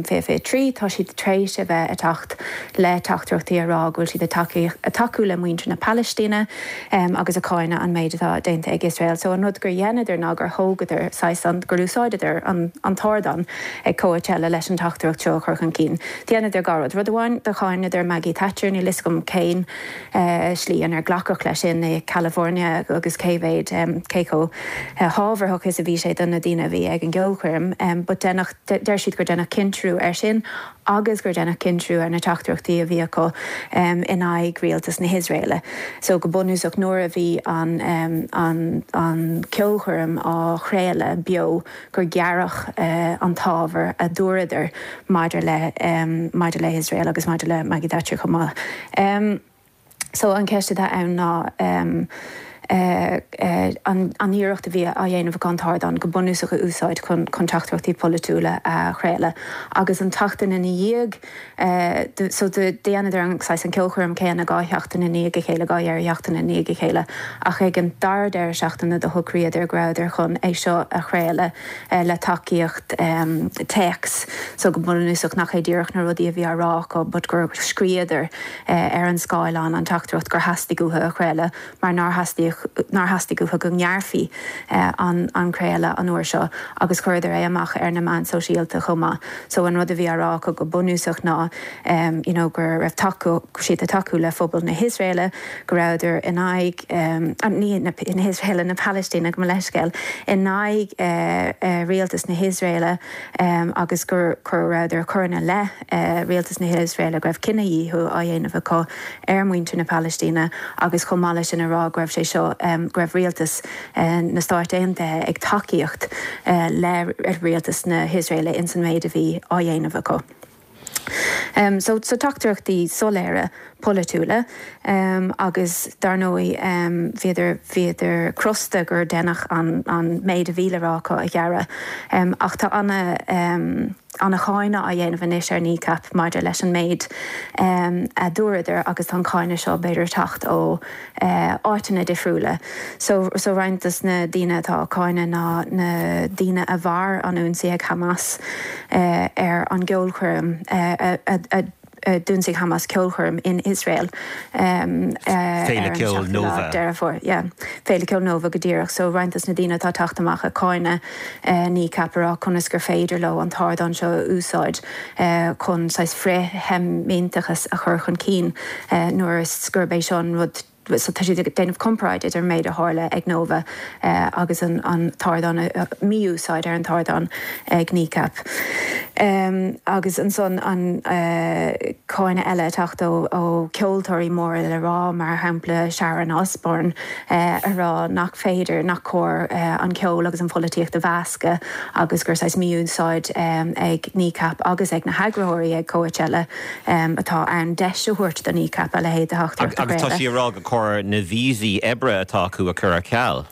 2023 tá siad tar éis a bheith ag teacht le teachtaireachtaí a rá go bhfuil siad ag tacú le muintir na Palaistíne agus ag cáineadh an méid atá déanta ag Iosrael. So an rud gur dheineadar ná gur thógadar saghas an, gur úsáideadar an an t-ardán ag Coachella leis an teachtaireacht seo a chur chun cinn. Dheineadar dhá rud. Rud amháin do cháineadar Maggie Thatcher, níl fhios agam cén slí inar glacadh leis sin i California agus cé mhéad, cé chomh hábharthach is a bhí sé do na daoine a bhí ag an gceolchoirm but deineadh, deir siad gur deineadh cinsireacht air sin agus gur deineadh cinsireacht ar na teachtaireachtaí a bhí acu in aghaidh rialtas na hIosraeile. So go bunúsach nuair a bhí an an an ceolchoirm á chraoladh beo gur gearradh an t-ábhar a dúradar maidir le maidir le hIosrael agus maidir le Maggie Thatcher chomh maith. So an cheist atá ann ná an iarracht a bhí á dhéanamh acu an t-ardán go bunúsach a úsáid chun chun teachtaireachtaí polaitiúla a chraoladh agus an tseachtain ina dhiaidh so dheineadar an saghas an ceolchoirm céanna dhá sheachtain i ndiaidh a chéile, dhá dheireadh sheachtaine i ndiaidh a chéile ach ag an dara deireadh seachtaine do shocraíodar go rabhadar chun é seo a chraoladh le tacaíocht téacs so go bunúsach nach é díreach na rudaí a bhí á rá acu but gur scríodar ar an scáileán an teachtaireacht gur theastaigh uathu a chraoladh mar nár theastaigh nár theastaigh uathu go ngearrfaí an an craoladh an uair seo agus chuireadar é amach ar na meáin sóisialta chomh maith. So an rud a bhí á rá acu go bunúsach ná you know go raibh tacú siad ag tacú le phobal na hIosraeile, go rabhadar in aghaidh ní na hIosraeile, na Palaistíne, gabh mo leithscéal, in aghaidh rialtas na hIosraeile agus gur go rabhadar ag cur ina leith rialtas na hIosraeile go raibh cinedhíothú á dhéanamh acu ar mhuintir na Palaistíne agus chomh maith leis sin a rá go raibh sé seo, go raibh rialtas na Stáit Aontaithe ag tacaíocht le rialtas na hIosraeile ins an méid a bhí á dhéanamh acu. So, so teachtaireachtaí soiléire polaitiúla agus dar ndóigh bhíodar, bhíodar crosta gur deineadh an, an méid a bhí le rá acu a ghearradh. Ach tá ana, ana-cháineadh á dhéanamh anois ar Kneecap maidir leis an méid a dúradar agus tá an cáineadh seo b'fhéidir ag teacht ó áiteanna difriúla. So so roinnt dos na daoine atá á cáineadh ná na daoine a mhair an ionsaí ag Hamas ar an gceolchoirm a d'ionsaigh Hamas ceolchoirm in Iosrael ar an Féile Ceoil 7ú lá Nova. Deireadh Fómhair. Yeah. Féile Ceoil Nova go díreach. So roinnt dos na daoine atá ag teacht amach ag cáineadh Kneecap a rá conas gur féidir leo an t-ardán seo a úsáid chun saghas frith-Sheimíteachas a chur chun cinn nuair is gurb é seo an rud so tá siad ag déanamh comparáid idir an méid a tharla ag Nova agus an an t-ardán mí-úsáid ar an t-ardán ag Kneecap. Agus ansan an cáineadh eile ag teacht ó ó ceoltóirí móra le rá mar shampla Sharon Osbourne a rá nach féidir, nach cóir an ceol agus an pholaitíocht a mheascadh agus gur saghas mí-úsáid ag Kneecap agus ag na heagraitheoirí ag Coachella atá ann deis a thabhairt do Kneecap a leithéid de theachtaireacht a Agus tá chraoladh. sí ag rá gur cóir na víosaí oibre atá acu a chur ar ceal.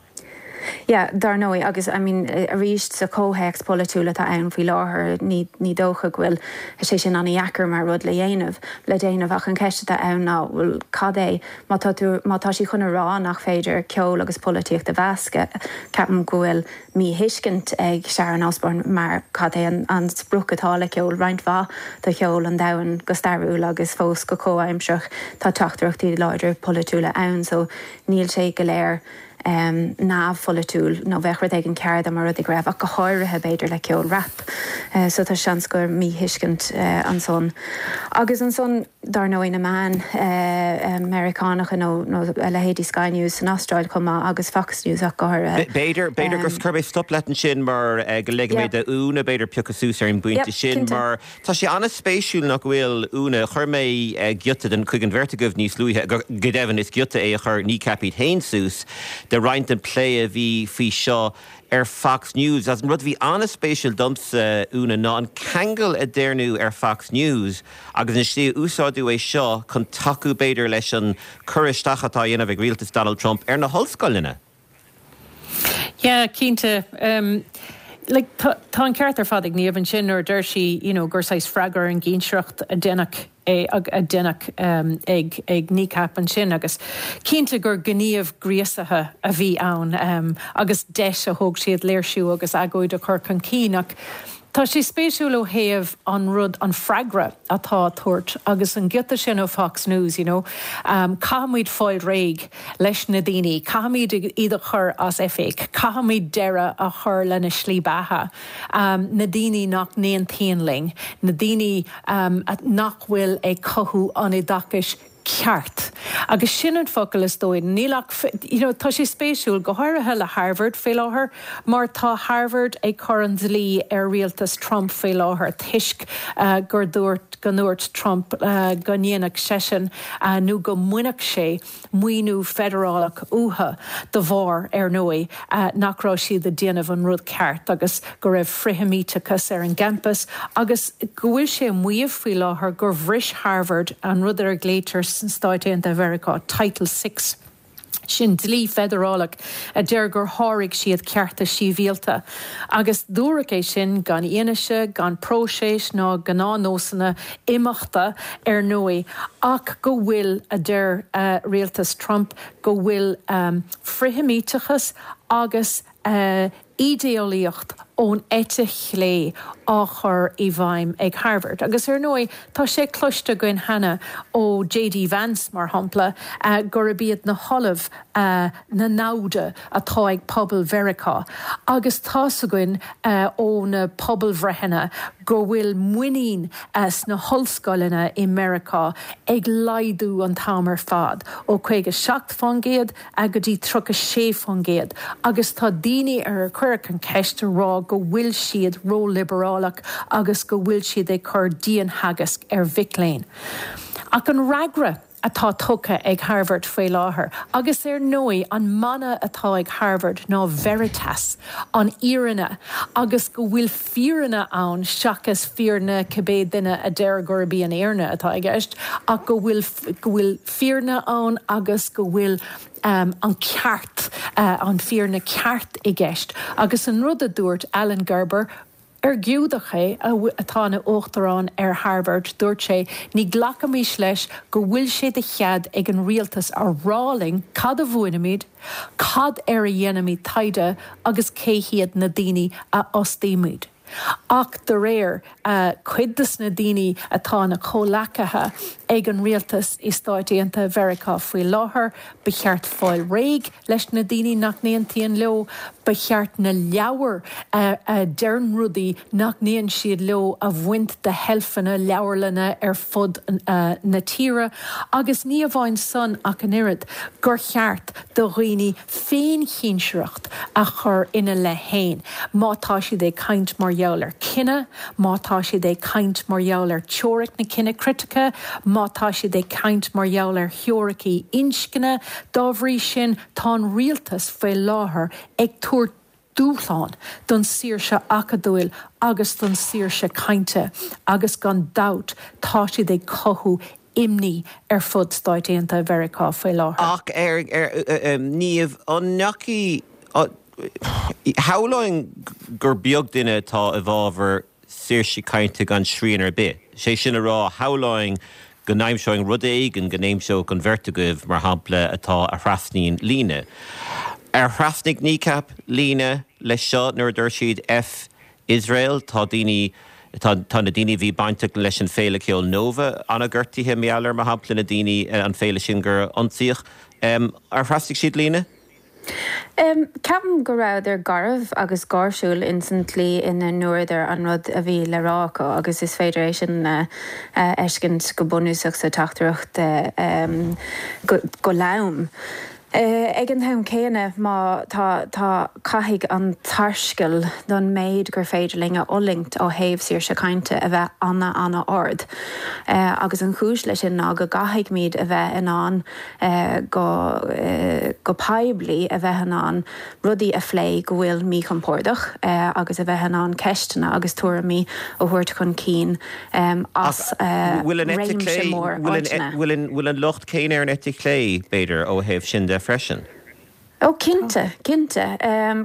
Yeah, dar ndóigh, agus I mean arís sa chomhthéacs polaitiúil atá ann faoi láthair ní ní dócha go bhfuil sé sin an-dheacair mar rud le dhéanamh, le déanamh ach an cheist atá ann ná bhuel cad é má tá tú má tá sí chun a rá nach féidir ceol agus polaitíocht a mheascadh, ceapaim go bhfuil míthuiscint ag Sharon Osbourne mar cad é an sprioc atá le ceol. Roinnt mhaith de cheol an domhain go stairiúil agus fós go comhaimsearach tá teachtaireachtaí láidre polaitiúla ann so níl sé go léir. neamhpholaitiúil nó bheadh rud éigin cearr dá mba rud é go raibh, ach go háirithe b'fhéidir le ceol rap. So tá seans gur míthuiscint ansan. Agus ansan, dar ndóigh, na meáin Meiriceánacha nó a leithéidí Sky News san Astráil chomh maith agus Fox News ach go háirithe. B'fhéidir, b'fhéidir gur cuirfidh mé stop leat ansin mar go ligfidh mé d'Úna b'fhéidir piocadh suas ar an bpointe sin mar Tá sé an-spéisiúil nach bhfuil, Úna, chuir mé giota den chuig an bheirt agaibh níos luaithe, go deimhin is giota é a chuir Kneecap iad féin suas, de roinnt den plé a bhí faoi seo ar Fox News. Agus an rud a bhí an-spéisiúil domsa, Úna, ná an ceangal a déarnadh ar Fox News agus an slí a úsáideadh é seo chun tacú b'fhéidir leis an cur isteach atá á dhéanamh ag rialtas Donald Trump ar na hollscoileanna. Yeah, cinnte. Like, tá, tá an ceart ar fad ag Niamh ansin nuair a deir sí, you know, gur saghas freagra ar an gcinsireacht a deineadh é, a deineadh ag, ag Kneecap ansin agus cinnte gur gníomh gríosaithe a bhí ann agus deis a thóg siad léirsiú agus agóid a chur chun cinn ach tá sé spéisiúil ó thaobh an rud, an freagra atá á tabhairt agus an giota sin ó Fox News, you know, caithfimid fáil réidh. leis na daoine, caithfimid iad a chur as oifig, caithfimid deireadh a chur lena slí beatha, na daoine nach n-aontaíonn linn, na daoine nach bhfuil ag cothú an oideachais ceart. Agus sin an focal is dóigh. Níl ach, you know, tá sé spéisiúil, go háirithe le Harvard faoi láthair, mar tá Harvard ag cur an dlí ar rialtas Trump faoi láthair toisc gur dúirt, go ndúirt Trump go ndéanfadh seisean nó go mbainfeadh sé maoiniú feidearálach uathu de bharr, ar ndóigh, nach raibh siad ag déanamh an rud ceart agus go raibh frithsheimíteachas ar an gcampas agus go bhfuil sé ag maíomh faoi láthair gur bhris Harvard an rud ar a ghlaoitear sna Stáit Aontaithe Mheiriceá Title Six. Sin dlí feidearálach a deir gur sháraigh siad cearta sibhialta. Agus dúradh é sin gan fhianaise, gan próiseas ná gnáthnósanna imeachta, ar ndóigh, ach go bhfuil, a deir rialtas Trump, go bhfuil frithsheimíteachas agus ídéolaíocht ón eite chlé á chur i bhfeidhm ag Harvard. Agus ar ndóigh, tá sé cloiste againn cheana ó JD Vance, mar shampla, gurb iad na hollaimh na namhda atá ag pobal Mheiriceá. Agus tá's againn ó na pobalbhreitheanna go bhfuil muinín sna hollscoileanna i Meiriceá ag laghdú an t-am ar fad, ó 57% go dtí 36%, agus tá daoine ar ar cuireadh an cheist ag rá go bhfuil siad ró-liobrálach agus go bhfuil siad ag cur diantheagasc ar mhic léinn. Ach an fhreagra atá tugtha ag Harvard faoi láthair, agus ar ndóigh an mana atá ag Harvard ná Veritas, an fhírinne, agus go bhfuil fírinne ann seachas fírinne cibé duine a deir gurb í an fhírinne atá i gceist, ach go bhfuil go bhfuil fírinne ann agus go bhfuil an ceart, an fhírinne ceart i gceist. Agus an rud a dúirt Alan Gerber, ar Giúdach é, atá ina uachtarán ar Harvard, dúirt sé, ní ghlacfaimis leis go bhfuil sé de chead ag an rialtas a rá linn cad a mhúinimid, cad air a dhéanaimid taighde agus cé hiad na daoine a fhostaímid. Ach de réir cuid de na daoine atá ina comhleacaithe ag an rialtas i Stáit Aontaithe Mheiriceá faoi láthair, ba cheart fáil réidh leis na daoine nach n-aontaíonn leo, ba cheart na leabhair a deireann rudaí nach n-aontaíonn siad leo a bhaint de sheilfeanna leabharlanna ar fud na tíre agus ní amháin san ach an oiread, gur cheart do dhaoine féinchinsireacht a chur ina leith féin má tá siad ag caint mar gheall ar cine, má tá siad ag caint mar gheall ar teoiric na cine critice, má tá siad ag caint mar gheall ar theoiricí inscne. Dá bhrí sin, tá an rialtas faoi láthair ag tabhairt dúshlán don saoirse acadúil agus don saoirse cainte agus gan dabht tá siad ag cothú imní ar fud Stáit Aontaithe Mheiriceá faoi láthair. Ach ar, ar, Niamh, an ndeachaigh, shamhlóinn gur beag duine atá i bhfabhar saoirse cainte gan srian ar bith. Sé sin a rá, shamhlóinn go n-aimseoinn rud éigin go n-aimseodh an bheirt agaibh, mar shampla, atá a thrasnaíonn líne. Ar thrasnaigh Kneecap líne leis seo nuair a dúirt siad F Iosrael? Tá daoine, tá, tá na daoine a bhí bainteach leis an féile ceoil Nova an-ghortaithe, mar gheall ar, mar shampla, na daoine, an féile sin gur ionsaíodh. Ar thrasnaigh siad líne? Ceapaim go rabhadar garbh agus gáirsiúil ins an tslí ina ndúradar an rud a bhí le rá acu agus is féidir é sin a fheiscint go bunúsach sa teachtaireacht go lom. Ag an t-am céanna, má tá, tá, caithfidh an tsarscaoll don méid gur féidir linn a fhulaingt ó thaobh saoirse cainte a bheith ana-ana-ard. Agus an chúis leis sin ná go gcaithfidhmid a bheith in ann go, go poiblí a bheith in ann rudaí a phlé go bhfuil míchompordach agus a bheith in ann ceisteanna agus tuairimí a thabhairt chun cinn as réimse mór áiteanna. Bhfuil an locht céanna ar an eite chlé, b'fhéidir, ó thaobh sin de freisin? Ó cinnte, cinnte,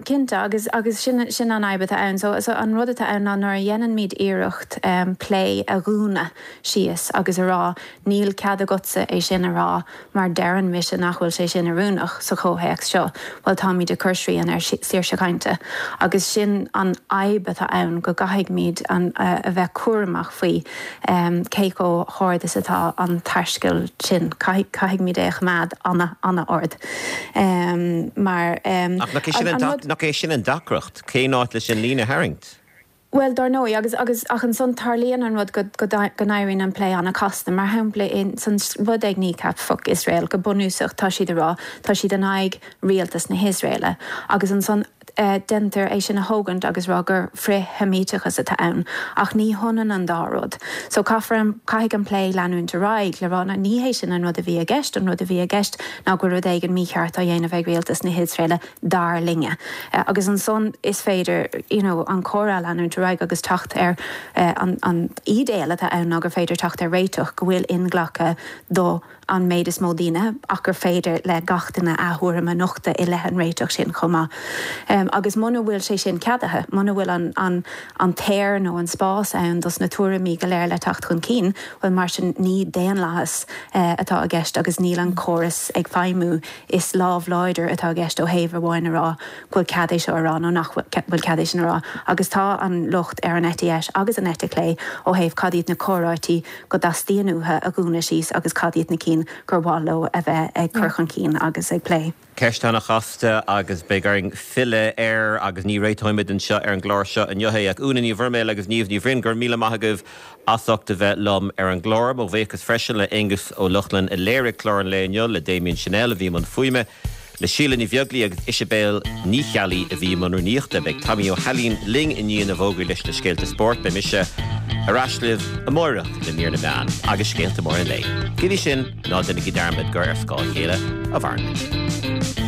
cinnte agus agus sin sin an fhadhb atá ann. So so an rud atá ann ná nuair a dhéanaimid iarracht plé a dhúnadh síos agus a rá níl cead agatsa é sin a rá mar deireann mise nach bhfuil sé sin oiriúnach sa chomhthéacs seo, bhuel táimid ag cur srian ar saoirse cainte. Agus sin an fhadhb atá ann go gcaithfidhmid an a bheith cúramach faoi cé chomh hard is atá an tarscaoll sin. Caithfidh caithfidhmid é a choimeád ana ana-ard. Mar Ach nach é sin an rud. Nach é sin an deacracht? Cén áit leis an líne a tharraingt? Bhuel, dar ndóigh, agus, agus, ach ansan tarlaíonn an rud go, go, go n-éiríonn an plé an-chasta. Mar shampla, in, san rud ag Kneecap, Fuck Israel, go bunúsach tá siad a rá, tá siad in aghaidh rialtas na hIosraeile. Agus ansan déantar é sin a thógaint agus rá gur frith-Sheimíteachas atá ann. Ach ní hionann an dá rud. So caithfear an, caithfidh an plé leanúint ar aghaidh le rá, ní hé sin an rud a bhí i gceist, an rud a bhí i gceist ná go bhfuil rud éigin mícheart á dhéanamh ag rialtas na hIosraeile dar linne. Agus ansan is féidir you know an comhrá a leanúint ar aghaidh agus teacht ar an an ídéal atá ann ná gur féidir teacht ar réiteach go bhfuil inghlactha do an méid is mó daoine ach gur féidir le gach duine a thuairim a nochtadh i leith an réiteach sin chomh maith. Agus muna bhfuil sé sin ceadaithe, muna bhfuil an an an t-aer nó an spás ann dos na tuairimí go léir le teacht chun cinn, bhuel mar sin ní daonlathas atá i gceist agus níl an córas ag feidhmiú Is lámh láidir atá i gceist ó thaobh amháin a rá go bhfuil cead é seo a rá nó nach bhfuil cead é sin a rá agus tá an locht ar an eite dheis agus an eite chlé ó thaobh cad iad na comhráití go dteastaíonn uathu a dhúnadh síos agus cad iad na cinn gur mhaith leo a bheith ag cur chun cinn agus ag plé. Ceist an-chasta agus beidh orainn filleadh air agus ní réiteoimid anseo ar an gclár seo inniu é ach Úna Ní Bhroiméil agus Niamh Ní Bhroin, go raibh míle maith agaibh as ucht a bheith liom ar an gclár. Mo bhuíochas freisin le Aonghus Ó Lochlainn a léirigh clár an lae inniu, le Damien Channel a bhí i mbun fuaime, le Síle Ní Bheaglaoi agus Isibéal Ní Cheallaigh a bhí i mbun rúnaíochta. Beidh Tommy Ó hAilín linn i ndiaidh na bhfógraí leis na scéalta spóirt. Beidh mise ar ais libh amáireach le mír na meán agus scéalta móra an lae. Go dtí sin, ná déanaigí dearmad gur ar scáth a chéile a mhaireann muid.